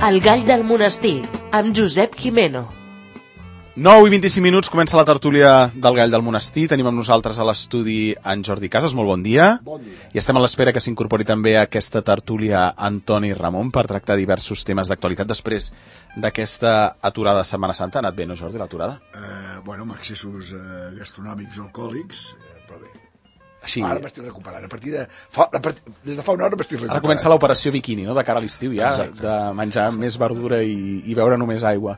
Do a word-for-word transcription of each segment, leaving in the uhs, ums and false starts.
El gall del monestir, amb Josep Jimeno. nou i vint-i-cinc minuts, comença la tertúlia del gall del monestir. Tenim amb nosaltres a l'estudi en Jordi Casas, molt bon dia. Bon dia. I estem a l'espera que s'incorpori també a aquesta tertúlia Antoni Ramon per tractar diversos temes d'actualitat després d'aquesta aturada de Setmana Santa. Ha anat bé, no, Jordi, l'aturada? Eh, bueno, amb accessos eh, gastronòmics o alcohòlics, eh, però bé. Així... Ara m'estic recuperant. A partir de... Fa, a part... Des de fa una hora m'estic recuperant. Ara comença l'operació biquini, no?, de cara a l'estiu ja, exacte, de menjar més verdura i, i beure només aigua.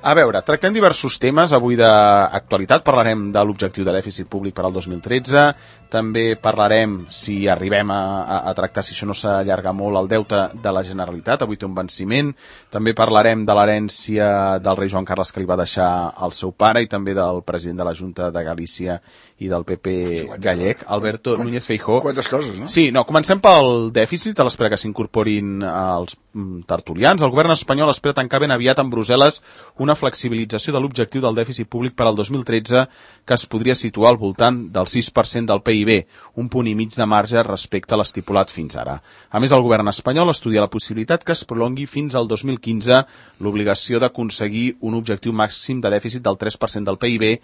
A veure, tractem diversos temes avui d'actualitat. Parlarem de l'objectiu de dèficit públic per al dos mil tretze. També parlarem, si arribem a, a, a tractar, si això no s'allarga molt, el deute de la Generalitat. Avui té un venciment. També parlarem de l'herència del rei Joan Carles que li va deixar al seu pare i també del president de la Junta de Galícia i del P P gallec, Alberto Núñez Feijóo. Quantes coses, no? Sí, no, comencem pel dèficit, a l'espera que s'incorporin els tertulians. El govern espanyol espera tancar ben aviat amb Brussel·les una flexibilització de l'objectiu del dèficit públic per al dos mil tretze que es podria situar al voltant del sis per cent del P I B, un punt i mig de marge respecte a l'estipulat fins ara. A més, el govern espanyol estudia la possibilitat que es prolongui fins al dos mil quinze l'obligació d'aconseguir un objectiu màxim de dèficit del tres per cent del P I B,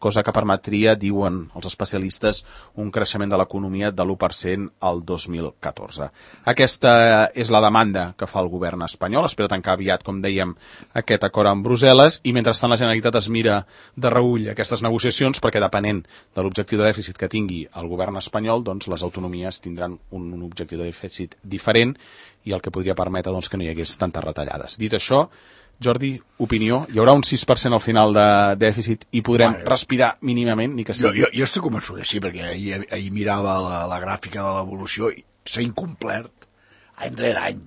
cosa que permetria, diuen els especialistes, un creixement de l'economia de l'u per cent al dos mil catorze. Aquesta és la demanda que fa el govern espanyol. Espera tancar aviat, com dèiem, aquest acord amb Brussel·les i mentrestant la Generalitat es mira de reüll aquestes negociacions perquè depenent de l'objectiu de dèficit que tingui el govern espanyol, doncs les autonomies tindran un, un objectiu de dèficit diferent i el que podria permetre doncs, que no hi hagués tantes retallades. Dit això, Jordi, opinió, hi haurà un sis per cent al final de dèficit i podrem bueno, respirar mínimament, ni que sigui? Jo, jo, jo estic convençut que sí, perquè ahir, ahir mirava la, la gràfica de l'evolució i s'ha incomplert any rere any.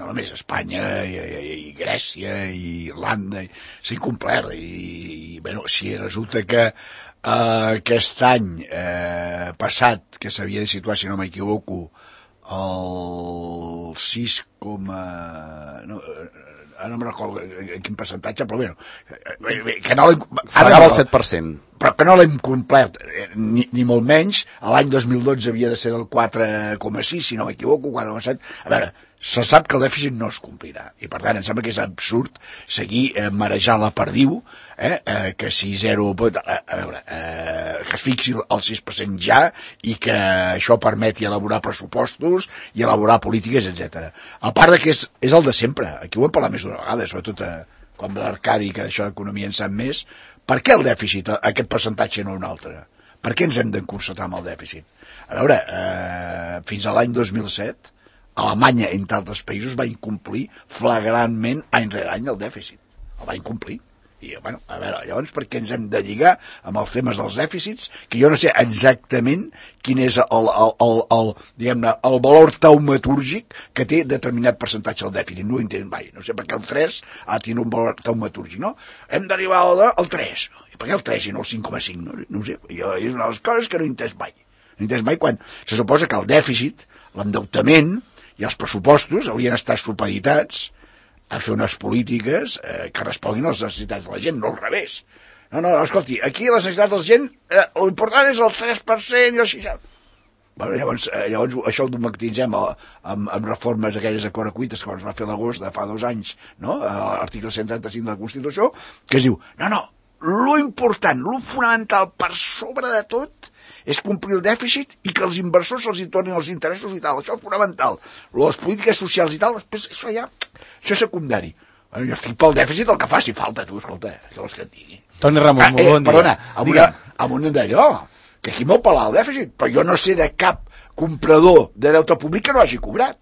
No només Espanya, i, i, i Grècia, i Irlanda, s'ha incomplert. I, i bueno, si resulta que eh, aquest any eh, passat, que s'havia de situar, si no m'equivoco, el sis coma... No, ara no me'n recordo en quin percentatge, però bé, que no l'hem... Pagava el set per cent. Però que no l'hem complert, ni, ni molt menys. L'any dos mil dotze havia de ser del quatre coma sis, si no m'equivoco, quatre coma set. A veure, se sap que el dèficit no es complirà. I per tant, em sembla que és absurd seguir eh, marejant la perdiu, eh, eh, que si zero... A, a veure, eh, que es fixi el sis per cent ja i que això permeti elaborar pressupostos i elaborar polítiques, etcètera. A part de que és, és el de sempre. Aquí ho hem parlat més d'una vegada, sobretot eh, quan l'Arcadi, que d'això d'economia en sap més. Per què el dèficit, aquest percentatge no un altre? Per què ens hem d'encorsetar amb el dèficit? A veure, eh, fins a l'any dos mil set, Alemanya, entre altres països, va incomplir flagrantment any rere any el dèficit. El va incomplir. I, bueno, a veure, llavors, per què ens hem de lligar amb els temes dels dèficits, que jo no sé exactament quin és el, el, el, el, diguem-ne, el valor taumatúrgic que té determinat percentatge del dèficit. No ho entenc mai. No sé per què el tres ha de tenir un valor taumatúrgic, no? Hem d'arribar al, al tres. I per què el tres i no el cinc coma cinc? No, no ho sé. Jo, és una de les coses que no he entès mai. No he entès mai quan se suposa que el dèficit, l'endeutament i els pressupostos haurien estat supeditats a fer unes polítiques eh, que responguin a les necessitats de la gent, no al revés. No, no, no, escolti, aquí les necessitats de la gent, eh, l'important és el tres per cent i el sis per cent. Bueno, llavors, eh, llavors això ho domatitzem amb, amb reformes aquelles a correcuites que es va fer a l'agost de fa dos anys, no? L'article cent trenta-cinc de la Constitució, que es diu, no, no, lo important, lo fonamental per sobre de tot és complir el dèficit i que els inversors se'ls hi tornin els interessos i tal. Això és fonamental. Les polítiques socials i tal, després això ja... Això és secundari. Bueno, jo estic pel dèficit el que faci falta, tu, escolta, què vols que et digui? Toni Ramon, ah, eh, molt bon dia. Perdona, amb, una, amb un d'allò, que aquí m'ho pelar el dèficit, però jo no sé de cap comprador de deute públic que no hagi cobrat.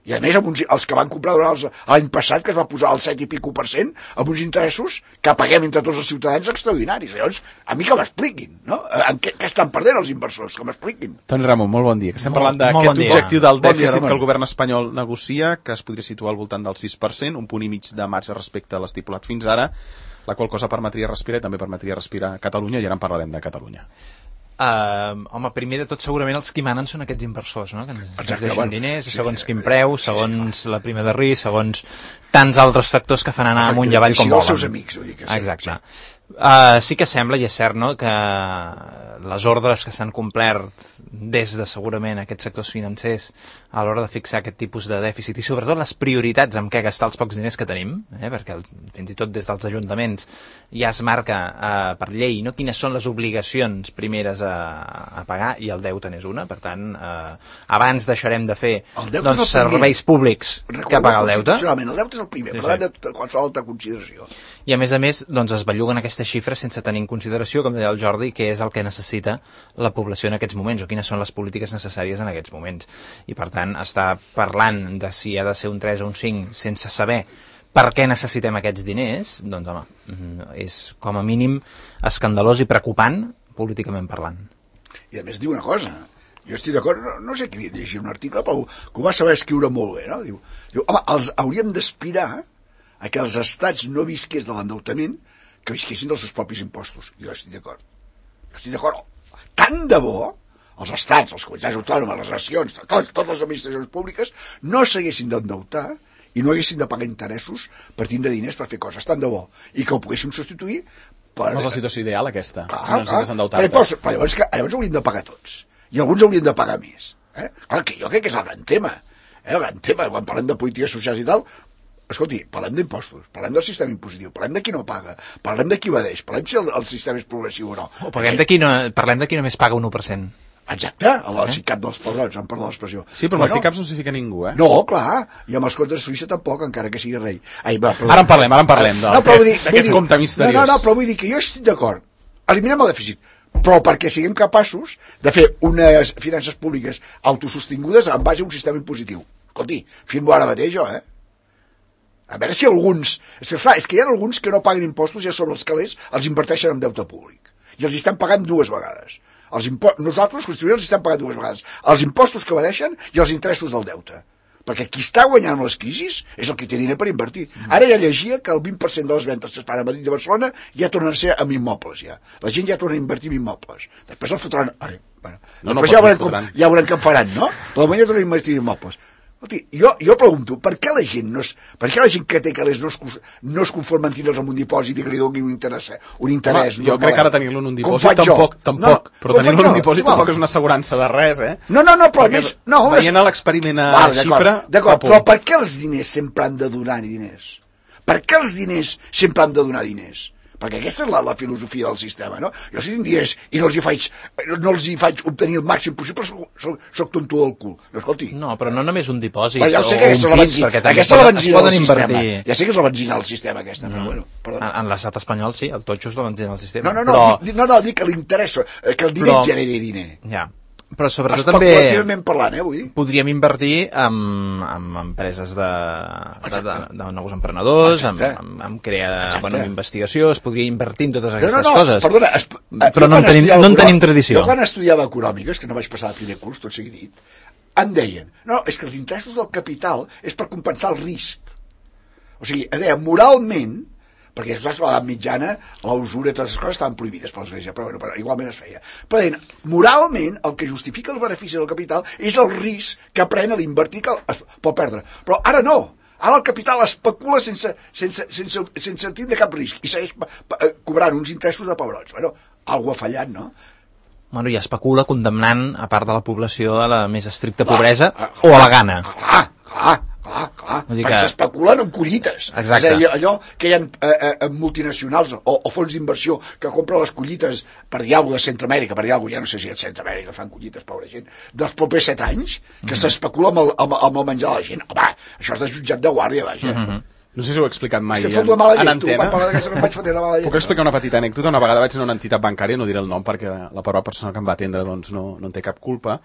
I a més, amb uns, els que van comprar durant l'any passat, que es va posar al set i pico per cent, amb uns interessos que paguem entre tots els ciutadans extraordinaris. Llavors, a mi que m'expliquin, no? En què, què estan perdent els inversors? Que m'expliquin. Toni Ramon, molt bon dia. Que estem parlant d'aquest bon objectiu del dèficit bon dia, que el govern espanyol negocia, que es podria situar al voltant del sis per cent, un punt i mig de marge respecte a l'estipulat fins ara, la qual cosa permetria respirar i també permetria respirar a Catalunya, i ara en parlarem de Catalunya. Uh, home, primer de tot segurament els qui manen són aquests inversors, no? Que ens, ens deixen diners, segons quin preu, segons la prima de risc, segons tants altres factors que fan anar amunt i avall com volen. I els seus amics, vull dir que sí. Exacte. Uh, sí que sembla, i és cert, no?, que les ordres que s'han complert des de segurament aquests sectors financers a l'hora de fixar aquest tipus de dèficit i sobretot les prioritats amb què gastar els pocs diners que tenim, eh, perquè el, fins i tot des dels ajuntaments ja es marca uh, per llei, no?, quines són les obligacions primeres a, a pagar, i el deute n'és una. Per tant, uh, abans deixarem de fer doncs, serveis públics que pagar el deute. El deute és el primer, sí, per tant, sí. de qualsevol altra consideració. I a més a més doncs, es belluguen aquestes xifres sense tenir en consideració, com deia el Jordi, què és el que necessita la població en aquests moments o quines són les polítiques necessàries en aquests moments. I per tant, estar parlant de si ha de ser un tres o un cinc sense saber per què necessitem aquests diners, doncs home, és com a mínim escandalós i preocupant políticament parlant. I a més diu una cosa, jo estic d'acord, no, no sé qui llegir un article, però ho va saber escriure molt bé, no? Diu, diu home, els hauríem d'aspirar a que els estats no visqués de l'endeutament, que visquessin dels seus propis impostos. Jo estic d'acord. Jo estic d'acord. Tant de bo, els estats, els comunitats autònomes, les nacions, tot, totes les administracions públiques, no s'haguessin d'endeutar i no haguessin de pagar interessos per tindre diners per fer coses. Tant de bo. I que ho poguéssim substituir per... No és la situació ideal, aquesta. Clar, si no necessites endeutar-te. Però, però llavors, que, llavors haurien de pagar tots. I alguns haurien de pagar més. Eh? Clar, que jo crec que és el gran tema. Eh? El gran tema, quan parlem de polítiques socials i tal, escolti, parlem d'impostos, parlem del sistema impositiu, parlem de qui no paga, parlem de qui evadeix, parlem si el, el sistema és progressiu o no. O parlem de qui, no, parlem de qui només paga un u per cent. Exacte, el eh? SICAP dels pebrons, em perdó l'expressió. Sí, però bueno, el SICAP no s'hi fica ningú, eh? No, clar, i amb els comptes de Suïssa tampoc, encara que sigui rei. Ai, va, ara en parlem, ara en parlem, d'aquest no, compte misteriós. No, no, no, però vull dir que jo estic d'acord. Eliminem el dèficit, però perquè siguem capaços de fer unes finances públiques autosostingudes en base a un sistema impositiu. Escolti, firmo ara mateix jo, eh? A veure si alguns... És que, clar, és que hi ha alguns que no paguen impostos i a sobre els calés els inverteixen en deute públic. I els estan pagant dues vegades. Els impo... Nosaltres, els constituents, els estan pagant dues vegades. Els impostos que evadeixen i els interessos del deute. Perquè qui està guanyant les crisis és el que té diner per invertir. Ara ja llegia que el vint per cent de les ventes que es fan a Madrid i Barcelona ja tornen a ser amb immobles. Ja. La gent ja torna a invertir en immobles. Després els fotran... Ara, bueno, no, no, ja, veurem com, ja veurem què en faran, no? Però la ja tornen a invertir en immobles. Escolti, jo, jo pregunto, per què la gent no es, per què la gent que té calés no es, no es conforma en tindre'ls en un dipòsit i que li doni un interès? Un interès Home, jo crec que ara tenir-lo en un dipòsit tampoc, tampoc, no, però tenir-lo en un dipòsit tampoc és una assegurança de res, eh? No, no, no, però almenys... No, veient l'experiment a vale, xifra... D'acord, però per què els diners sempre han de donar diners? Per què els diners sempre han de donar diners? Perquè aquesta és la, la filosofia del sistema, no? Jo si tinc diners i no els hi faig, no els hi faig obtenir el màxim possible, soc, soc, soc tonto del cul. No, escolti. No, però no només un dipòsit ja o sé que un pis, perquè també aquesta poden, es poden invertir. Sistema. Ja sé que és la benzina del sistema, aquesta, però bueno, perdó. En, en l'estat espanyol, sí, el totxo és la benzina del sistema. No, no, no, però... dic, no, no, dic que l'interès, que el diner però... generi diner. Ja. Però sobretot també parlant, eh, vull dir? podríem invertir en, en empreses de, de, de, de nous emprenedors, en, en, en crear bona investigació, es podria invertir en totes aquestes no, no, coses. Perdona, es, però no en, tenim, no en tenim tradició. Jo quan estudiava econòmiques, que no vaig passar el primer curs, tot sigui dit, em deien, no, és que els interessos del capital és per compensar el risc. O sigui, em deia, moralment, perquè saps, a l'edat mitjana la usura i totes les coses estaven prohibides per l'Església, però, bueno, però igualment es feia. Però deien, moralment el que justifica els beneficis del capital és el risc que pren a l'invertir que es pot perdre. Però ara no, ara el capital especula sense, sense, sense, sense tindre cap risc i segueix cobrant uns interessos de pebrots. Bueno, algú ha fallat, no? Bueno, i especula condemnant a part de la població a la més estricta pobresa clar, clar, o a la gana. Clar, clar. Clar, clar, perquè que... s'especulen amb collites. Exacte. És a dir, allò que hi ha eh, eh, multinacionals o, o fons d'inversió que compren les collites per dir alguna cosa de Centroamèrica, per dir alguna cosa, ja no sé si a Centroamèrica fan collites, pobra gent, dels propers set anys, que mm. s'especula amb, el, amb, amb el menjar de la gent. Home, això és de jutjat de guàrdia, vaja. Mm -hmm. No sé si ho he explicat mai en, en antena. Tu, Puc explicar una petita anècdota? Una vegada vaig anar a una entitat bancària, no diré el nom perquè la pobra persona que em va atendre doncs, no, no en té cap culpa,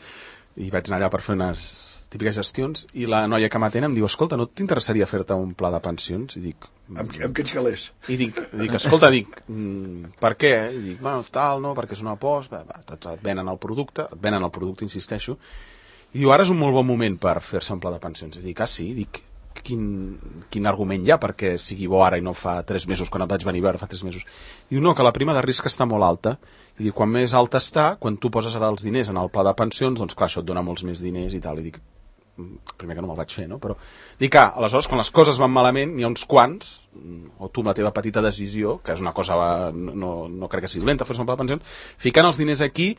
i vaig anar allà per fer unes típiques gestions, i la noia que m'atén em diu, escolta, no t'interessaria fer-te un pla de pensions? I dic... Amb, amb quins calés? I dic, dic escolta, dic, per què? I dic, bueno, tal, no, perquè és una aposta, et venen el producte, et venen el producte, insisteixo, i diu, ara és un molt bon moment per fer-se un pla de pensions. I dic, ah, sí? Dic, quin, quin argument hi ha perquè sigui bo ara i no fa tres mesos, quan et vaig venir a veure fa tres mesos? I diu, no, que la prima de risc està molt alta. I dic, quan més alta està, quan tu poses ara els diners en el pla de pensions, doncs clar, això et dona molts més diners i tal. I dic, primer que no me'l vaig fer, no? Però dic que, aleshores, quan les coses van malament, n'hi ha uns quants, o tu amb la teva petita decisió, que és una cosa, no, no crec que sigui dolenta, fer-se un pla de pensions, ficant els diners aquí,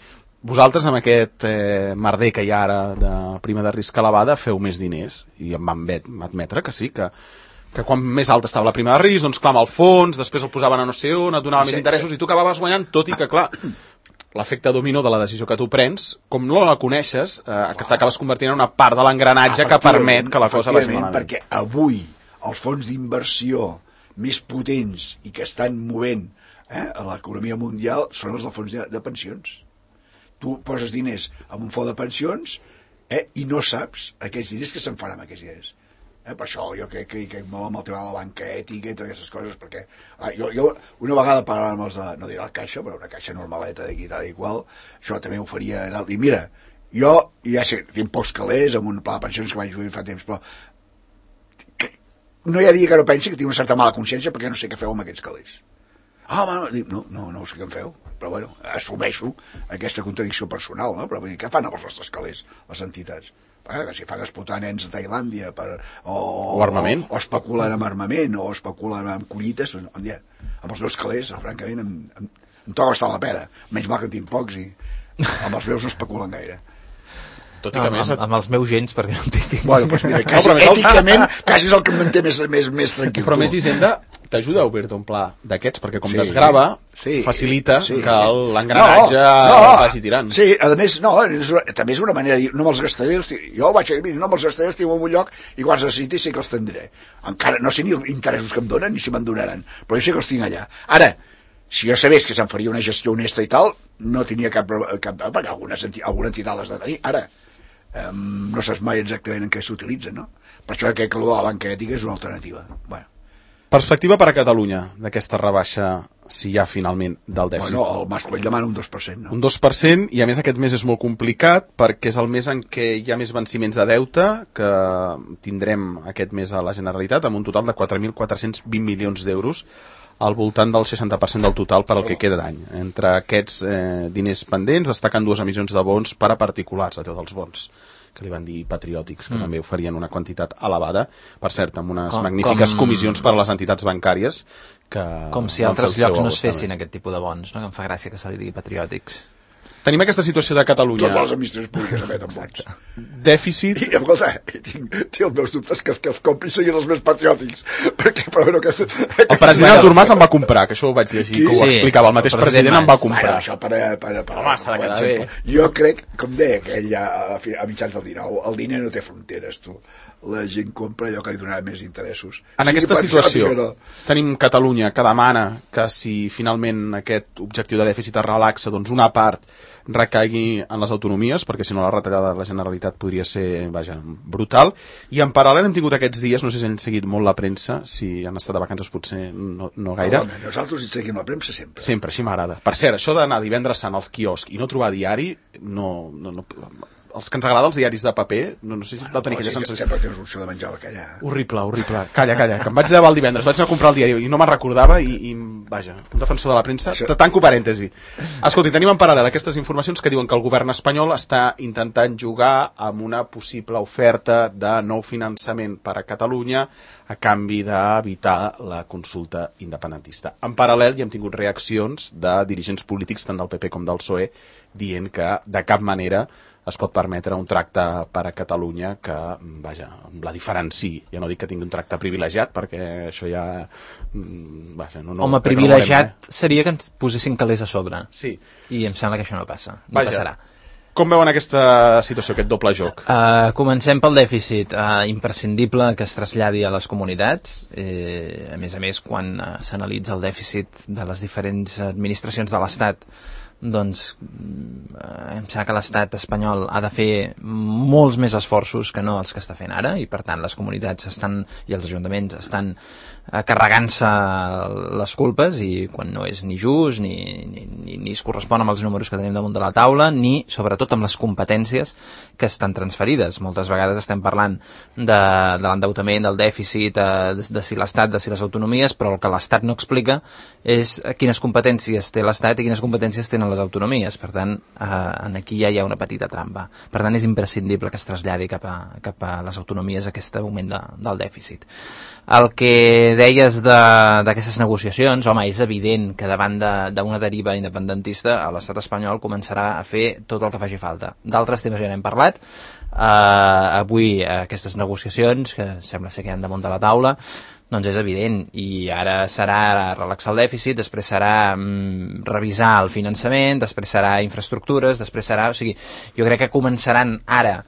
vosaltres amb aquest eh, merder que hi ha ara de prima de risc elevada feu més diners, i em van admetre que sí, que que quan més alta estava la prima de risc, doncs clama al fons, després el posaven a no sé on, et donava sí, més interessos, sí. I tu acabaves guanyant, tot i que, clar, l'efecte dominó de la decisió que tu prens, com no la coneixes, eh, que t'acabes convertint en una part de l'engranatge que permet que la cosa vagi malament. Perquè avui els fons d'inversió més potents i que estan movent eh, a l'economia mundial són els dels fons de, de pensions. Tu poses diners en un fons de pensions eh, i no saps aquells diners que se'n faran amb aquests diners. Eh, per això jo crec que hi crec molt amb el tema de la banca ètica i totes aquestes coses, perquè ah, jo, jo una vegada parlant amb els de, no diré la caixa, però una caixa normaleta d'aquí tal i qual, això també ho faria dalt. I mira, jo ja sé, tinc pocs calés amb un pla de pensions que vaig fer fa temps, però que, no hi ha dia que no pensi que tinc una certa mala consciència perquè no sé què feu amb aquests calés. Ah, home, no, no, no sé què en feu, però bueno, assumeixo aquesta contradicció personal, no? Però què fan amb els nostres calés, les entitats? Eh, que si fan explotar nens a Tailàndia per, o, o armament o, o especulen amb armament o especulen amb collites, on ja, amb els meus calés francament em, em, em toca bastant la pera, menys mal que en tinc pocs i amb els meus no especulen gaire. Tot i que no, més... amb, amb els meus gens, perquè no en tinc. Bueno, doncs mira, quasi, no, èticament, quasi és el que em manté més, més, més tranquil. Però més Hisenda t'ajuda a obrir-te un pla d'aquests, perquè com sí, desgrava, sí, facilita sí, que l'engranatge no, no, vagi tirant. Sí, a més, no, és una, també és una manera de dir, no me'ls gastaré, els jo vaig a dir, no me'ls gastaré, els tinc en un lloc, i quan els necessiti sé que els tindré. Encara no sé ni els interessos que em donen, ni si me'n donaran, però jo sé que els tinc allà. Ara, si jo sabés que se'n faria una gestió honesta i tal, no tenia cap, cap perquè alguna, alguna entitat l'has de tenir. Ara, Um, no saps mai exactament en què s'utilitza, no? Per això crec que la banca ètica és una alternativa. Bueno. Perspectiva per a Catalunya d'aquesta rebaixa, si hi ha finalment, del dèficit. Bueno, el Mas Colell demana un dos per cent, no? Un dos per cent, i a més aquest mes és molt complicat perquè és el mes en què hi ha més venciments de deute que tindrem aquest mes a la Generalitat amb un total de quatre mil quatre-cents vint milions d'euros, al voltant del seixanta per cent del total per al que queda d'any. Entre aquests eh, diners pendents destaquen dues emissions de bons per a particulars, allò dels bons que li van dir patriòtics, que mm. també oferien una quantitat elevada, per cert, amb unes com, magnífiques com... comissions per a les entitats bancàries que... Com si altres llocs no es fessin aquest tipus de bons, no? Que em fa gràcia que se li digui patriòtics. Tenim aquesta situació de Catalunya. Totes les administracions públiques emeten bons. Dèficit... I, escolta, tinc, tinc els meus dubtes que, que els compris siguin els més patriòtics. Perquè, però, bueno, que, que, el president Artur Mas em va comprar, que això ho vaig llegir, que ho sí, explicava. El mateix el president, president em va comprar. Bueno, això per, per, per, Home, s'ha de quedar bé. Jo crec, com deia aquell a, a mitjans del dinou, el diner no té fronteres, tu. La gent compra allò que li donarà més interessos. En sí, aquesta situació no. tenim Catalunya que demana que si finalment aquest objectiu de dèficit es relaxa, doncs una part recaigui en les autonomies, perquè si no la retallada de la Generalitat podria ser, vaja, brutal. I en paral·lel hem tingut aquests dies, no sé si han seguit molt la premsa, si han estat de vacances potser no, no gaire. No, nosaltres hi seguim la premsa sempre. Sempre, així m'agrada. Per cert, això d'anar divendres sant al quiosc i no trobar diari, no... no, no els que ens agrada els diaris de paper, no, no sé si vau tenir aquella sensació. Sempre tens opció de menjar bacallà. Horrible, horrible. Calla, calla, que em vaig llevar el divendres, vaig anar a comprar el diari i no me'n recordava i, i, vaja, un defensor de la premsa, Això... tanco parèntesi. Escolti, tenim en paral·lel aquestes informacions que diuen que el govern espanyol està intentant jugar amb una possible oferta de nou finançament per a Catalunya a canvi d'evitar la consulta independentista. En paral·lel hi hem tingut reaccions de dirigents polítics tant del P P com del P S O E dient que de cap manera es pot permetre un tracte per a Catalunya que, vaja, la diferenciï. Ja no dic que tingui un tracte privilegiat, perquè això ja... Vaja, no, no, Home, privilegiat no eh? seria que ens posessin calés a sobre. Sí. I em sembla que això no passa. No vaja. Passarà. Com veuen aquesta situació, aquest doble joc? Uh, comencem pel dèficit. Uh, imprescindible que es traslladi a les comunitats. Eh, a més a més, quan uh, s'analitza el dèficit de les diferents administracions de l'Estat, doncs eh, em sembla que l'estat espanyol ha de fer molts més esforços que no els que està fent ara, i per tant les comunitats estan i els ajuntaments estan eh, carregant-se les culpes, i quan no és ni just ni, ni, ni, ni es correspon amb els números que tenim damunt de la taula, ni sobretot amb les competències que estan transferides. Moltes vegades estem parlant de, de l'endeutament, del dèficit, eh, de, de si l'estat, de si les autonomies, però el que l'estat no explica és quines competències té l'estat i quines competències tenen les autonomies. Per tant, eh, aquí ja hi ha una petita trampa. Per tant, és imprescindible que es traslladi cap a, cap a les autonomies aquest augment de, del dèficit. El que deies d'aquestes negociacions, home, és evident que davant d'una de, deriva independentista l'estat espanyol començarà a fer tot el que faci falta. D'altres temes ja n'hem parlat. Uh, avui uh, aquestes negociacions, que sembla ser que hi han damunt de la taula, doncs és evident, i ara serà relaxar el dèficit, després serà mm, revisar el finançament, després serà infraestructures, després serà... O sigui, jo crec que començaran ara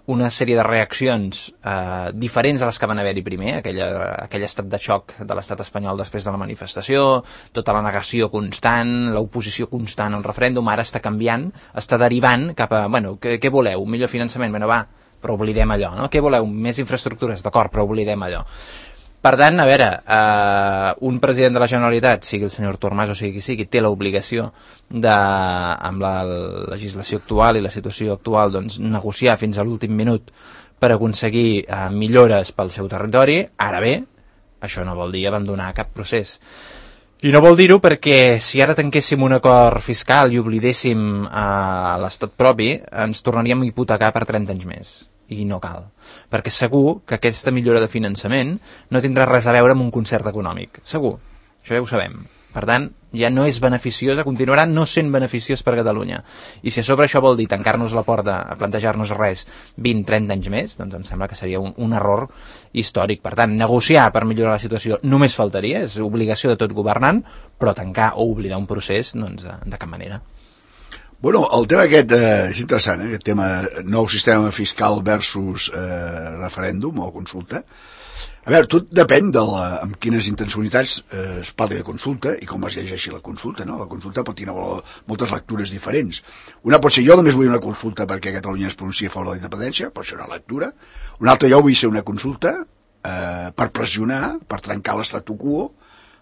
una sèrie de reaccions eh, diferents a les que van haver-hi primer, aquella, aquell estat de xoc de l'estat espanyol després de la manifestació, tota la negació constant, l'oposició constant al referèndum, ara està canviant, està derivant cap a, bueno, què, què voleu? Un millor finançament? Bueno, va, però oblidem allò, no? Què voleu? Més infraestructures? D'acord, però oblidem allò. Per tant, a veure, eh, un president de la Generalitat, sigui el senyor Artur Mas o sigui qui sigui, té l'obligació de, amb la legislació actual i la situació actual, doncs, negociar fins a l'últim minut per aconseguir eh, millores pel seu territori. Ara bé, això no vol dir abandonar cap procés. I no vol dir-ho perquè si ara tanquéssim un acord fiscal i oblidéssim eh, l'estat propi, ens tornaríem a hipotecar per trenta anys més. I no cal, perquè segur que aquesta millora de finançament no tindrà res a veure amb un concert econòmic, segur, això ja ho sabem. Per tant, ja no és beneficiosa, continuarà no sent beneficiós per Catalunya. I si a sobre això vol dir tancar-nos la porta a plantejar-nos res vint a trenta anys més, doncs em sembla que seria un, un error històric. Per tant, negociar per millorar la situació només faltaria, és obligació de tot governant, però tancar o oblidar un procés, doncs de, de cap manera. Bueno, el tema aquest eh, és interessant, eh, aquest tema nou sistema fiscal versus eh, referèndum o consulta. A veure, tot depèn de la, amb quines intencionalitats eh, es parli de consulta i com es llegeixi la consulta, no? La consulta pot tenir moltes lectures diferents. Una pot ser jo només vull una consulta perquè Catalunya es pronuncia a favor de la independència, pot ser una lectura. Una altra jo vull ser una consulta eh, per pressionar, per trencar l'estatu quo,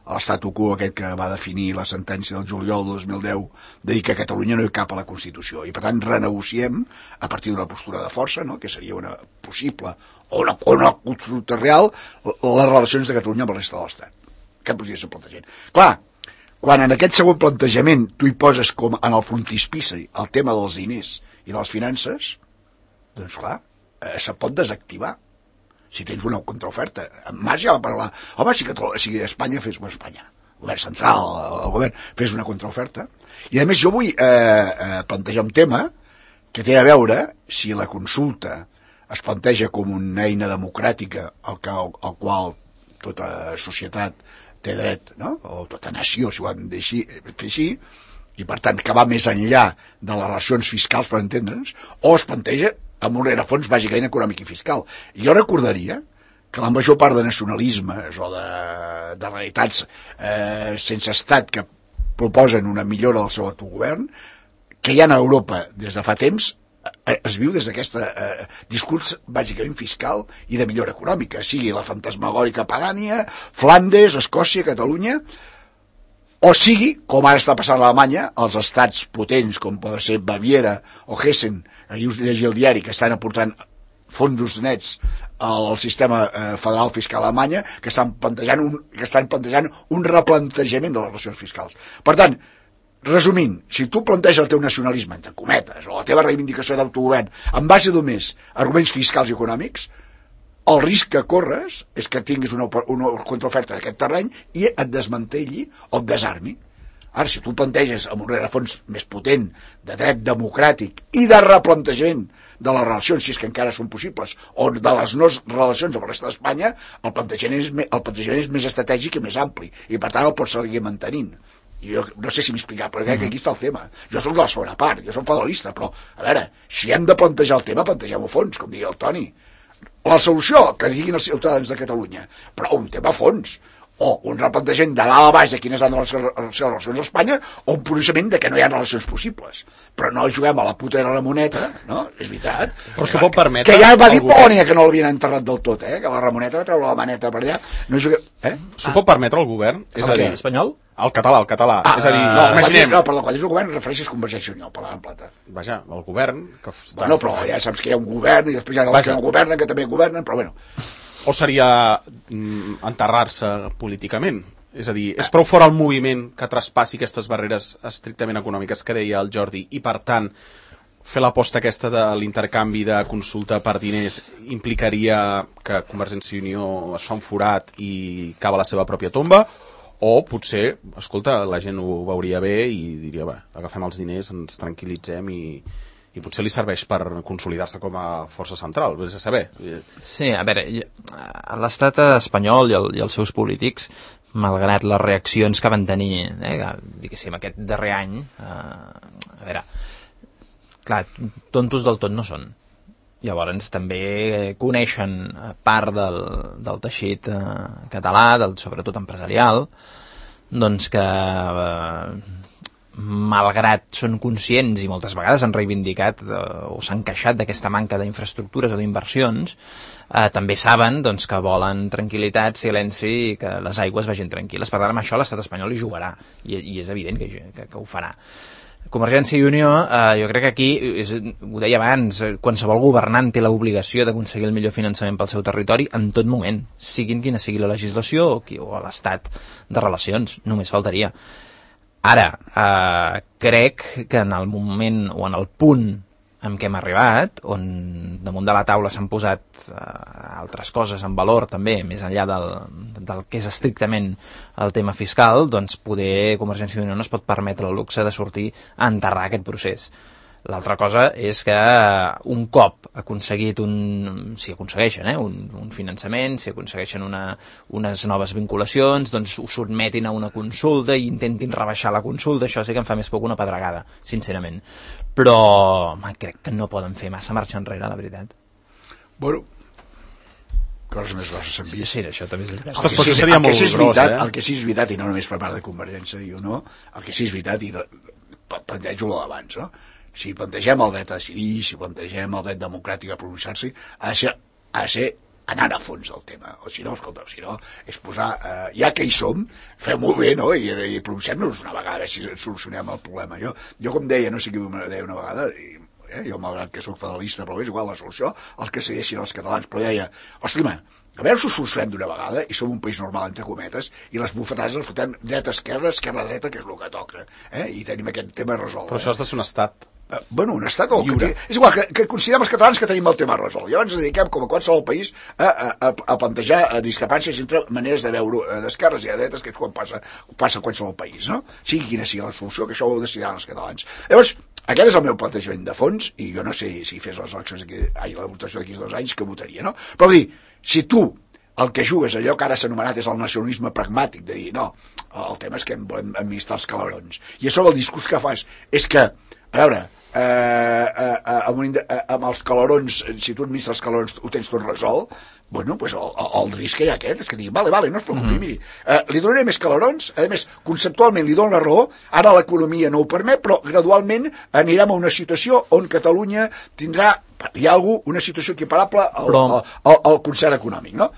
l'estatu quo aquest que va definir la sentència del juliol del dos mil deu de dir que Catalunya no hi cap a la Constitució i per tant renegociem a partir d'una postura de força, no? Que seria una possible o una, o una consulta real les relacions de Catalunya amb el resta de l'Estat. Què podria ser plantejament? Clar, quan en aquest segon plantejament tu hi poses com en el frontispici el tema dels diners i de les finances, doncs clar, eh, se pot desactivar si tens una contraoferta. En Mas ja va parlar, home, si, Catalunya, si Espanya fes, bueno, Espanya, el govern central, el govern, fes una contraoferta. I a més jo vull eh, eh, plantejar un tema que té a veure si la consulta es planteja com una eina democràtica al, que, al qual tota societat té dret, no? O tota nació, si ho han de fer així, i per tant que va més enllà de les relacions fiscals, per entendre'ns, o es planteja amb un rerefons bàsicament econòmic i fiscal. I jo recordaria que la major part de nacionalismes o de, de realitats eh, sense estat que proposen una millora del seu autogovern, que hi ha a Europa des de fa temps, eh, es viu des d'aquest eh, discurs bàsicament fiscal i de millora econòmica, sigui la fantasmagòrica Pagània, Flandes, Escòcia, Catalunya, o sigui, com ara està passant a Alemanya, els estats potents, com poden ser Baviera o Hessen, ahir us llegia el diari, que estan aportant fons nets al sistema eh, federal fiscal a Alemanya, que estan plantejant un, que estan plantejant un replantejament de les relacions fiscals. Per tant, resumint, si tu planteges el teu nacionalisme, entre cometes, o la teva reivindicació d'autogovern, en base només a arguments fiscals i econòmics, el risc que corres és que tinguis una, una contraoferta en aquest terreny i et desmantelli o et desarmi. Ara, si tu planteges amb un rerefons més potent de dret democràtic i de replantejament de les relacions, si és que encara són possibles, o de les no relacions amb el resta d'Espanya, el plantejament és, el plantejament és més estratègic i més ampli, i per tant el pots seguir mantenint. I jo no sé si m'he explicat, però crec que aquí està el tema. Jo soc de la segona part, jo soc federalista, però, a veure, si hem de plantejar el tema, plantegem-ho a fons, com digui el Toni. La solució, que diguin els ciutadans de Catalunya, però un tema a fons, o un replantejament de dalt a baix de quines han de les relacions a Espanya, o un coneixement de que no hi ha relacions possibles. Però no juguem a la puta de la Ramoneta, no? És veritat. Però s'ho pot permetre... Que ja va dir Polònia que no l'havien enterrat del tot, eh? Que la Ramoneta va treure la maneta per allà. No juguem... Eh? S'ho pot permetre el govern? És a dir... Espanyol? El català, el català. Ah, és a dir, no, imaginem... No, perdó, quan dius el govern refereixes Convergència i Unió, parlant en plata. Vaja, el govern... Que està... Bueno, però ja saps que hi ha un govern i després hi ha els Vaja. que no governen, que també governen, però bueno... O seria mm, enterrar-se políticament? És a dir, és prou fora el moviment que traspassi aquestes barreres estrictament econòmiques que deia el Jordi, i per tant fer l'aposta aquesta de l'intercanvi de consulta per diners implicaria que Convergència i Unió es fa un forat i cava la seva pròpia tomba, o potser, escolta, la gent ho veuria bé i diria, va, agafem els diners, ens tranquil·litzem i, i potser li serveix per consolidar-se com a força central, vés a saber. Sí, a veure, l'estat espanyol i, el, i els seus polítics, malgrat les reaccions que van tenir, eh, diguéssim, aquest darrer any, eh, a veure, clar, tontos del tot no són. Llavors també coneixen part del, del teixit eh, català, del, sobretot empresarial, doncs que eh, malgrat són conscients i moltes vegades han reivindicat eh, o s'han queixat d'aquesta manca d'infraestructures o d'inversions, eh, també saben doncs, que volen tranquil·litat, silenci i que les aigües vagin tranquil·les. Per tant, amb això l'estat espanyol hi jugarà i, i és evident que, que, que ho farà. Convergència i Unió, eh, jo crec que aquí, és, ho deia abans, qualsevol governant té l'obligació d'aconseguir el millor finançament pel seu territori en tot moment, siguin quina sigui la legislació o, qui, o l'estat de relacions, només faltaria. Ara, eh, crec que en el moment o en el punt en què hem arribat, on damunt de la taula s'han posat eh, altres coses en valor també, més enllà del, del que és estrictament el tema fiscal, doncs poder Convergència i Unió no es pot permetre el luxe de sortir a enterrar aquest procés. L'altra cosa és que un cop aconseguit un, si aconsegueixen eh, un, un finançament, si aconsegueixen una, unes noves vinculacions, doncs ho sotmetin a una consulta i intentin rebaixar la consulta. Això sí que em fa més poc una pedregada, sincerament. Però home, crec que no poden fer massa marxa enrere, la veritat. Bueno, coses més grosses s'han vist. Sí, sí, això també és veritat. El que, sí, seria el, que sí és veritat, eh? el que sí és veritat, i no només per part de Convergència i Unió, el que sí és veritat, i plantejo lo d'abans, no? Si plantegem el dret a decidir, si plantegem el dret democràtic a pronunciar-se, ha de ser, ha de ser anant a fons del tema. O si no, escolta, si no, és posar, eh, ja que hi som, fem-ho bé, no? I, i pronunciem-nos una vegada, a veure si solucionem el problema. Jo, jo com deia, no sé qui me deia una vegada, i, eh, jo malgrat que sóc federalista, però és igual la solució, el que decideixin els catalans, però deia, ostres, a veure si ho solucionem d'una vegada i som un país normal, entre cometes, i les bufetades les fotem dreta-esquerra, esquerra-dreta, que és el que toca, eh? I tenim aquest tema resolt. Però això has de ser un estat. Uh, bueno, un estat o que té, és igual que, que considerem els catalans que tenim el tema resolt. Llavors ens dediquem, com a qualsevol país, a, a, a plantejar a discrepàncies entre maneres de veure d'esquerres i de dretes, que és quan passa, passa a qualsevol país, no? Sigui quina sigui la solució, que això ho decidiran els catalans. Llavors, aquest és el meu plantejament de fons, i jo no sé si fes les eleccions aquí, ai, la votació d'aquí dos anys, que votaria, no? Però dir, si tu el que jugues, allò que ara s'ha anomenat és el nacionalisme pragmàtic, de dir, no, el tema és que hem volem administrar els calarons. I a sobre el discurs que fas és que, a veure, eh, eh, eh, amb, un, eh, amb els calarons, si tu administres els calarons ho tens tot resolt, bueno, pues el, el risc que hi ha aquest és que digui, vale, vale, no es preocupi, mm-hmm. miri, eh, li donaré més calarons, a més, conceptualment li dono la raó, ara l'economia no ho permet, però gradualment anirem a una situació on Catalunya tindrà, hi ha algú, una situació equiparable al, però... al, al, al concert econòmic, no?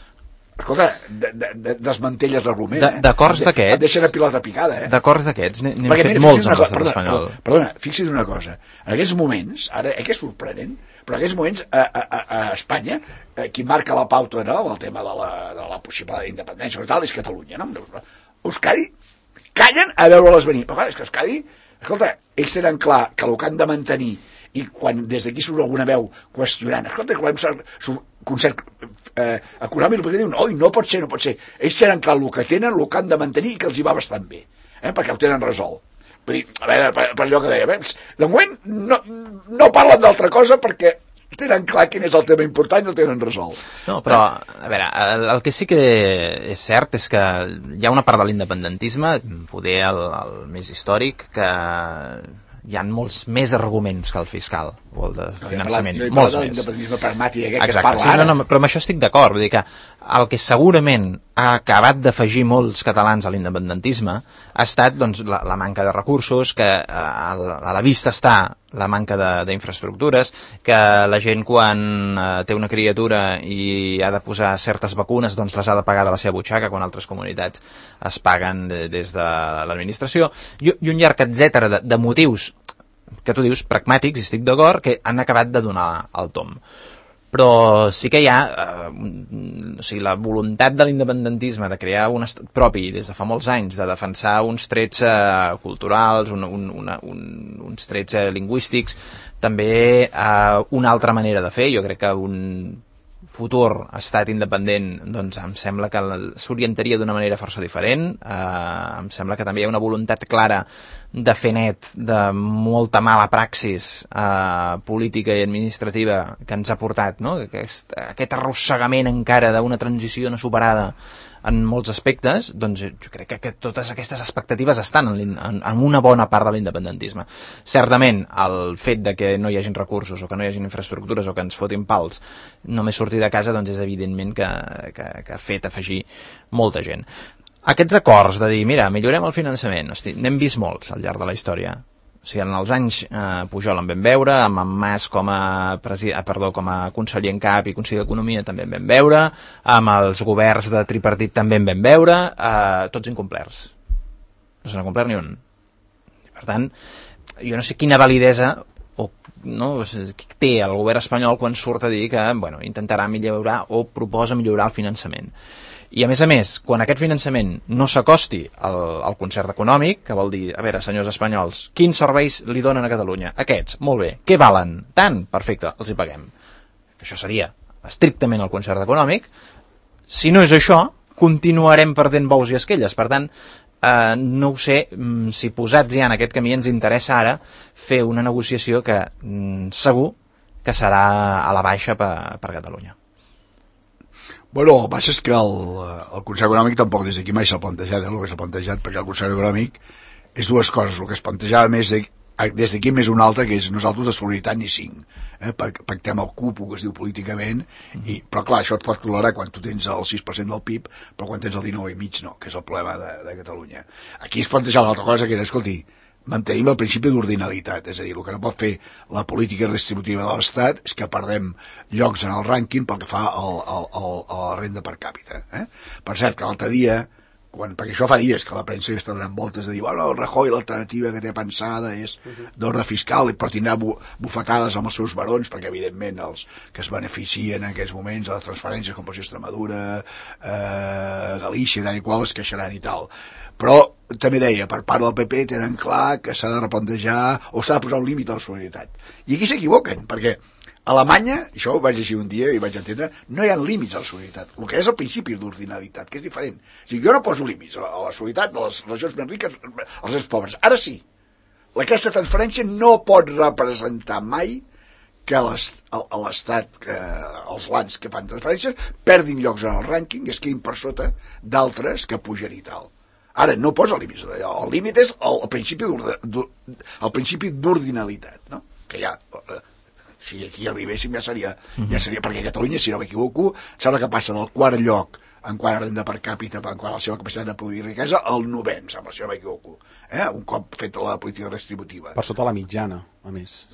Escolta, de, de, de, desmantelles l'argument, eh? D'acords d'aquests... Et deixen a pilota picada, eh? D'acords d'aquests, n'hem Perquè, fet mira, molts amb l'estat espanyol. Perdona, perdona, fixi's una cosa. En aquests moments, ara, eh, que és sorprenent, però en aquests moments a, a, a Espanya, eh, qui marca la pauta, no?, el tema de la, de la possible independència i tal, és Catalunya, no? Euskadi callen a veure-les venir. Però, és que Euskadi, escolta, ells tenen clar que el que han de mantenir, i quan des d'aquí surt alguna veu qüestionant, escolta, que volem ser concert eh, econòmic, perquè diuen, oi, no pot ser, no pot ser. Ells tenen clar el que tenen, el que han de mantenir i que els hi va bastant bé, eh, perquè ho tenen resolt. Vull dir, a veure, per, per allò que deia, de moment no, no parlen d'altra cosa perquè tenen clar quin és el tema important i el tenen resolt. No, però, a veure, el, el que sí que és cert és que hi ha una part de l'independentisme, poder el, el més històric, que hi ha molts més arguments que el fiscal o el de finançament. Jo he parlat, jo he molts parlat més. de l'independentisme pragmàtic aquest que Exacte, es parla sí, ara. no, no, però amb això estic d'acord. Vull dir que el que segurament ha acabat d'afegir molts catalans a l'independentisme ha estat doncs, la, la manca de recursos, que a, a la vista està la manca d'infraestructures, que la gent quan eh, té una criatura i ha de posar certes vacunes doncs les ha de pagar de la seva butxaca, quan altres comunitats es paguen de, des de l'administració, i, i un llarg etcètera de, de motius que tu dius pragmàtics, i estic d'acord, que han acabat de donar el tom. però sí que hi ha eh, o sigui, la voluntat de l'independentisme de crear un estat propi des de fa molts anys, de defensar uns trets eh, culturals, un, un, una, un, uns trets eh, lingüístics, també eh, una altra manera de fer. Jo crec que un futur estat independent, doncs em sembla que s'orientaria d'una manera força diferent. Eh, em sembla que també hi ha una voluntat clara de fer net de molta mala praxis eh, política i administrativa que ens ha portat, no? Aquest, aquest arrossegament encara d'una transició no superada en molts aspectes. Doncs jo crec que, que totes aquestes expectatives estan en, en, en una bona part de l'independentisme. Certament, el fet de que no hi hagin recursos o que no hi hagin infraestructures o que ens fotin pals només sortir de casa, doncs és evidentment que, que, que ha fet afegir molta gent. Aquests acords de dir, mira, millorem el finançament, hosti, n'hem vist molts al llarg de la història. O sigui, en els anys eh, Pujol en vam veure, amb en Mas com a, presi... ah, perdó, com a conseller en cap i conseller d'Economia també en vam veure, amb els governs de tripartit també en vam veure, eh, tots incomplerts. No se n'ha complert ni un. Per tant, jo no sé quina validesa o, no, té el govern espanyol quan surt a dir que bueno, intentarà millorar o proposa millorar el finançament. I a més a més, quan aquest finançament no s'acosti al, al concert econòmic, que vol dir, a veure, senyors espanyols, quins serveis li donen a Catalunya? Aquests, molt bé. Què valen? Tant? Perfecte, els hi paguem. Això seria estrictament el concert econòmic. Si no és això, continuarem perdent bous i esquelles. Per tant, eh, no ho sé si posats ja en aquest camí ens interessa ara fer una negociació que mm, segur que serà a la baixa per, per Catalunya. Bueno, el que passa és que el, el concert econòmic tampoc des d'aquí mai s'ha plantejat, eh, el que s'ha plantejat, perquè el concert econòmic és dues coses. El que es plantejava més de, des d'aquí més una altra, que és nosaltres de solidaritat ni cinc. Eh, pactem el cupo, que es diu políticament, i, però clar, això et pot tolerar quan tu tens el sis per cent del P I B, però quan tens el dinou i mig no, que és el problema de, de Catalunya. Aquí es plantejava una altra cosa, que era, escolti, mantenim el principi d'ordinalitat, és a dir, el que no pot fer la política redistributiva de l'Estat és que perdem llocs en el rànquing pel que fa al, al, al, a la renda per càpita. Eh? Per cert, que l'altre dia, quan, perquè això fa dies que la premsa està donant voltes de dir, bueno, el Rajoy l'alternativa que té pensada és d'ordre fiscal, però tindrà bu bufetades amb els seus barons, perquè evidentment els que es beneficien en aquests moments de les transferències com pot ser Extremadura, eh, Galícia i tal i qual es queixaran i tal. Però també deia, per part del P P tenen clar que s'ha de replantejar o s'ha de posar un límit a la solidaritat. I aquí s'equivoquen, perquè a Alemanya, això ho vaig llegir un dia i vaig entendre, no hi ha límits a la solidaritat, el que és el principi d'ordinalitat, que és diferent. O sigui, jo no poso límits a la solidaritat de les regions més riques als més pobres. Ara sí, aquesta transferència no pot representar mai que l'Estat, que els lands que fan transferències, perdin llocs en el rànquing i es quedin per sota d'altres que pugen i tal. Ara, no posa límits d'allò. El límit és el, el principi d'ordinalitat, no? Que ja, si aquí arribéssim ja seria, ja seria, perquè Catalunya, si no m'equivoco, sembla que passa del quart lloc en quant a renda per càpita, en quant a la seva capacitat de produir riquesa, al novè, em sembla, si no m'equivoco. Eh? Un cop fet la política redistributiva. Per sota la mitjana, a més.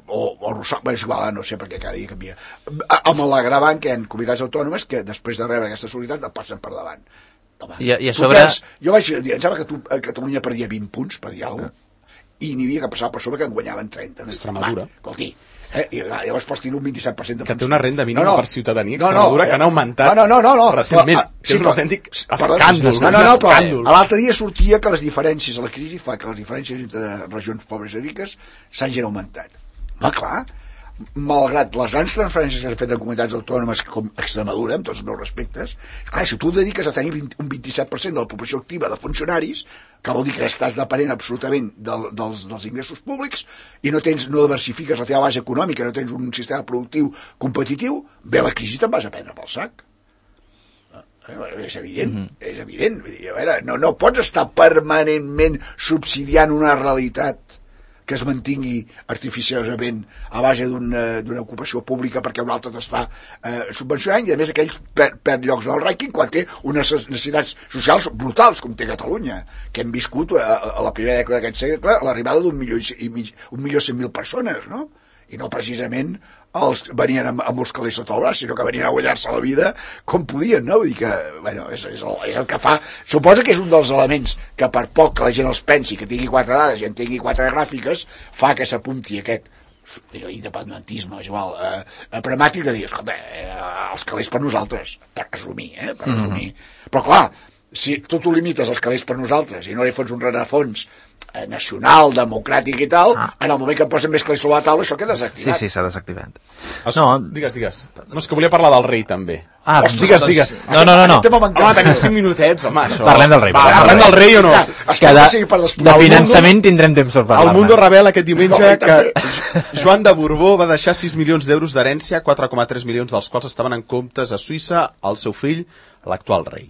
o, o Rossal, bé, és igual, no sé perquè cada dia canvia. Amb l'agravant que hi ha comunitats autònomes que després de rebre aquesta solidaritat et passen per davant. Home, I, i a sobre... tens, jo vaig dir, em sembla que tu, a Catalunya perdia vint punts, per dir alguna cosa, i n'hi havia que passar per sobre que en guanyaven trenta. Extremadura. Escolti, eh, i llavors pots tenir un vint-i-set per cent de punts. Que té una renda mínima no, no, per ciutadania no, Extremadura no, que han augmentat no, no, no, no, recentment. Però, que sí, és un autèntic perdó, escàndol. No, no, no, però escàndol. l'altre dia sortia que les diferències a la crisi fa que les diferències entre regions pobres i riques s'hagin augmentat. Va, clar, malgrat les grans transferències que s'han fet en comunitats autònomes com Extremadura, amb tots els meus respectes, clar, si tu et dediques a tenir un vint-i-set per cent de la població activa de funcionaris, que vol dir que estàs depenent absolutament del, dels, dels ingressos públics i no tens, no diversifiques la teva base econòmica, no tens un sistema productiu competitiu, bé, la crisi te'n vas a prendre pel sac. És evident, mm-hmm. és evident. Vull dir, a veure, no, no pots estar permanentment subsidiant una realitat que es mantingui artificiosament a base d'una ocupació pública perquè un altre t'està eh, subvencionant i a més aquells per, per llocs en el rànquing quan té unes necessitats socials brutals com té Catalunya, que hem viscut a, a la primera dècada d'aquest segle l'arribada d'un milió i mig, un milió cent mil persones, no? I no precisament els venien amb, amb els calés sota el braç, sinó que venien a guanyar-se la vida com podien, no? Vull dir que, bueno, és, és, el, és el que fa... Suposa que és un dels elements que per poc que la gent els pensi, que tingui quatre dades i en tingui quatre gràfiques, fa que s'apunti aquest independentisme, és igual, eh, pragmàtic de dir, escolta, eh, els calés per nosaltres, per resumir, eh, per resumir. Mm-hmm. Però clar, si tu t'ho limites als calés per nosaltres i no li fots un rerefons eh, nacional, democràtic i tal, ah. en el moment que et posen més calés sobre la taula, això queda desactivat. Sí, sí, s'ha desactivat. Es, no. Digues, digues. No, és que volia parlar del rei, també. Ah, Ostres, digues, digues. No, no, no. no. Home, tenim cinc minutets, home, això. Parlem del rei. Va, parlem del rei o no? Ja, que de, de finançament Mundo, tindrem temps per parlar. El Mundo revela aquest diumenge no, que Joan de Borbó va deixar sis milions d'euros d'herència, quatre coma tres milions dels quals estaven en comptes a Suïssa al seu fill, l'actual rei.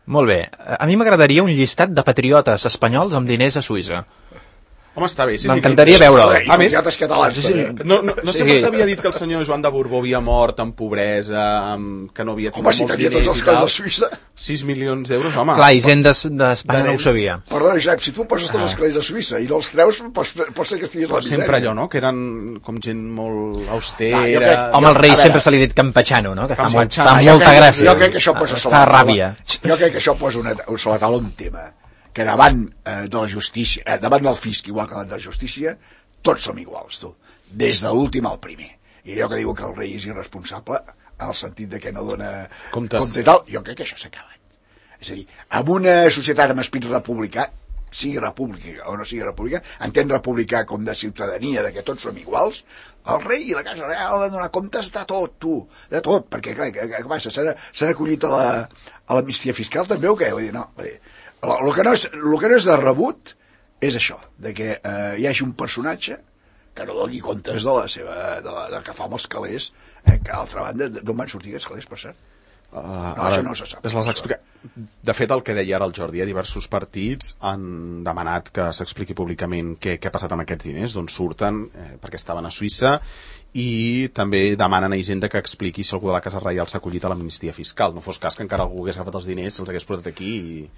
Molt bé. A mi m'agradaria un llistat de patriotes espanyols amb diners a Suïssa. Home, està bé. M'encantaria veure'l. A més, catalans, sí, sí. No, no, no sempre s'havia dit que el senyor Joan de Borbó havia mort en pobresa, amb, que no havia tingut home, si molts diners tots els calés de Suïssa. sis milions d'euros, home. Clar, i gent d'Espanya no ho sabia. Perdona, Josep, si tu poses tots ah. els calés de Suïssa i no els treus, pots, pots ser que estiguis la misèria. Sempre allò, no?, que eren com gent molt austera. Ah, crec, home, el rei veure, sempre se li ha dit campechano, no?, que fa, molt, fa ah, molta crec, gràcia. Jo crec que això posa sobre fa la taula. Ràbia. Jo crec que això posa una, sobre la taula un tema. Que davant eh, de la justícia, eh, davant del fisc, igual que davant de la justícia, tots som iguals, tu. Des de l'últim al primer. I allò que diu que el rei és irresponsable, en el sentit de que no dona comptes, compte i tal, jo crec que això s'ha acabat. És a dir, en una societat amb esprit republicà, sigui república o no sigui república, entén republicà com de ciutadania, de que tots som iguals, el rei i la Casa Real han de donar comptes de tot, tu, de tot, perquè clar, què, què passa? S'han acollit a la, a l'amnistia fiscal també o què? Vull dir, no, vull dir, el que no és, el que no és de rebut és això, de que eh, hi hagi un personatge que no doni comptes de la seva, de la, de que fa amb els calés, eh, que a l'altra banda, d'on van sortir aquests calés, per cert? Uh, no, això no se sap. Les explica... De fet, el que deia ara el Jordi, diversos partits han demanat que s'expliqui públicament què, què ha passat amb aquests diners, d'on surten, eh, perquè estaven a Suïssa, i també demanen a Hisenda que expliqui si algú de la Casa Reial s'ha acollit a l'amnistia fiscal. No fos cas que encara algú hagués agafat els diners, els hagués portat aquí i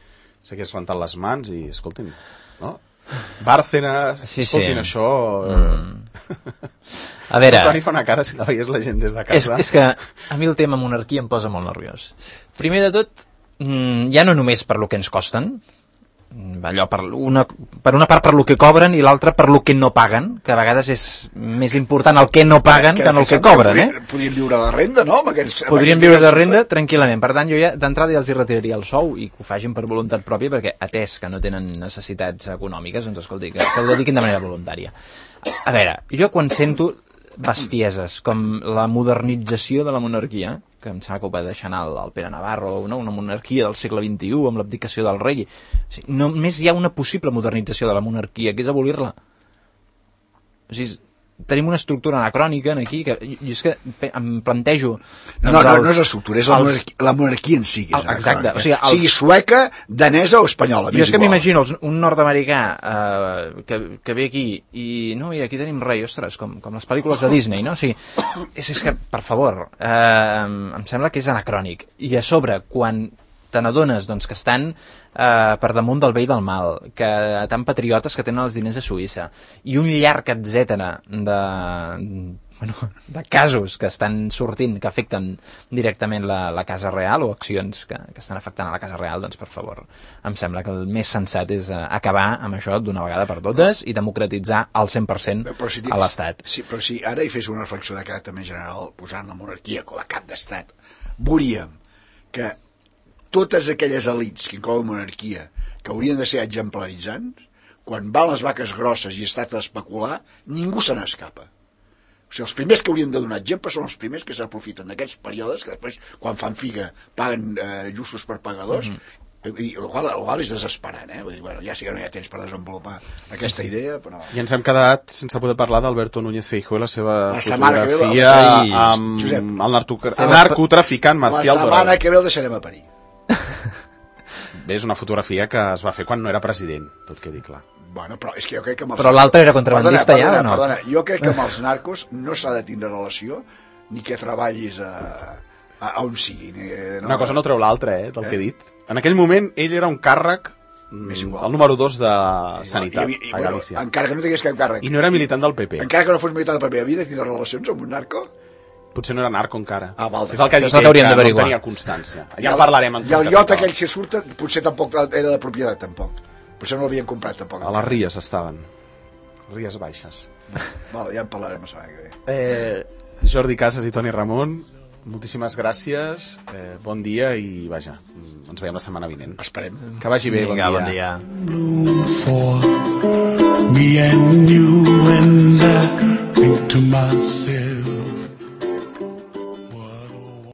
s'hagués rentat les mans i, escoltin, no? Bárcenas, sí, escoltin, sí. Això... Mm. A veure... El Toni fa una cara si la veies la gent des de casa. És, és que a mi el tema monarquia em posa molt nerviós. Primer de tot, ja no només per lo que ens costen, allò per una, per una part per lo que cobren i l'altra per lo que no paguen, que a vegades és més important el que no paguen que, que no el que cobren, eh? Podrien viure de renda, no? Amb aquests, podrien amb viure de renda tranquil·lament. Per tant, jo ja d'entrada ja els hi retiraria el sou i que ho facin per voluntat pròpia, perquè atès que no tenen necessitats econòmiques, doncs escolti, que, que ho dediquin de manera voluntària. A veure, jo quan sento bestieses com la modernització de la monarquia, que em sembla que ho va deixar anar el, el Pere Navarro, no? Una monarquia del segle vint-i-u amb l'abdicació del rei. O sigui, només hi ha una possible modernització de la monarquia, que és abolir-la. O sigui, tenim una estructura anacrònica aquí que jo és que em plantejo no, no, no, no és l'estructura, és la, els... monarquia, la monarquia en si que és exacte, o sigui, els... sigui sueca, danesa o espanyola, jo és que m'imagino un nord-americà eh, que, que ve aquí i no, mira, aquí tenim rei, ostres, com, com les pel·lícules de Disney, no? O sigui, és, és que, per favor, eh, em sembla que és anacrònic i a sobre, quan te n'adones doncs, que estan eh, per damunt del bé i del mal, que tan patriotes que tenen els diners a Suïssa, i un llarg etcètera de, bueno, de casos que estan sortint, que afecten directament la, la Casa Real, o accions que, que estan afectant a la Casa Real, doncs per favor, em sembla que el més sensat és eh, acabar amb això d'una vegada per totes i democratitzar al cent per cent si a l'Estat. Sí, però si ara hi fes una reflexió de caràcter més general, posant la monarquia com a cap d'estat, veuríem que totes aquelles elites que inclouen monarquia que haurien de ser exemplaritzants, quan van les vaques grosses i es tracta d'especular, ningú se n'escapa. O sigui, els primers que haurien de donar exemple són els primers que s'aprofiten d'aquests períodes que després, quan fan figa, paguen eh, justos per pagadors, mm-hmm. i el qual, el qual és desesperant, eh? Vull dir, bueno, ja sí que no hi ha temps per desenvolupar aquesta idea, però... I ens hem quedat sense poder parlar d'Alberto Núñez Feijóo i la seva la fotografia ve, amb Josep, el narcotraficant Marcial Dorado. La setmana que ve el deixarem a parir. Bé, és una fotografia que es va fer quan no era president, tot quedi clar. Bueno, però és que jo crec que... Amb els... Però l'altre era contrabandista ja, o no? Perdona, jo crec que amb els narcos no s'ha de tindre relació ni que treballis a, a, a on sigui. Ni, no, una cosa no treu l'altra, eh, del eh? que he dit. En aquell moment, ell era un càrrec, el número dos de Sanitat, i, i, i, a Galícia. Bueno, encara que no tingués cap càrrec. I no era militant del P P. Encara que no fos militant del P P, havia de tindre relacions amb un narco? Potser no era narco encara. Ah, val, és el que ha dit ell, que no tenia constància. Ja en parlarem. En I el iot aquell que surt potser tampoc era de propietat, tampoc. Potser no l'havien comprat, tampoc. A les Ries estaven. Ries Baixes. Vale, ja en parlarem la setmana que ve. Eh, Jordi Casas i Toni Ramon, moltíssimes gràcies, eh, bon dia i vaja, ens veiem la setmana vinent. Esperem. Que vagi bé, Vinga, bon dia. bon dia. For me and you, and I think to myself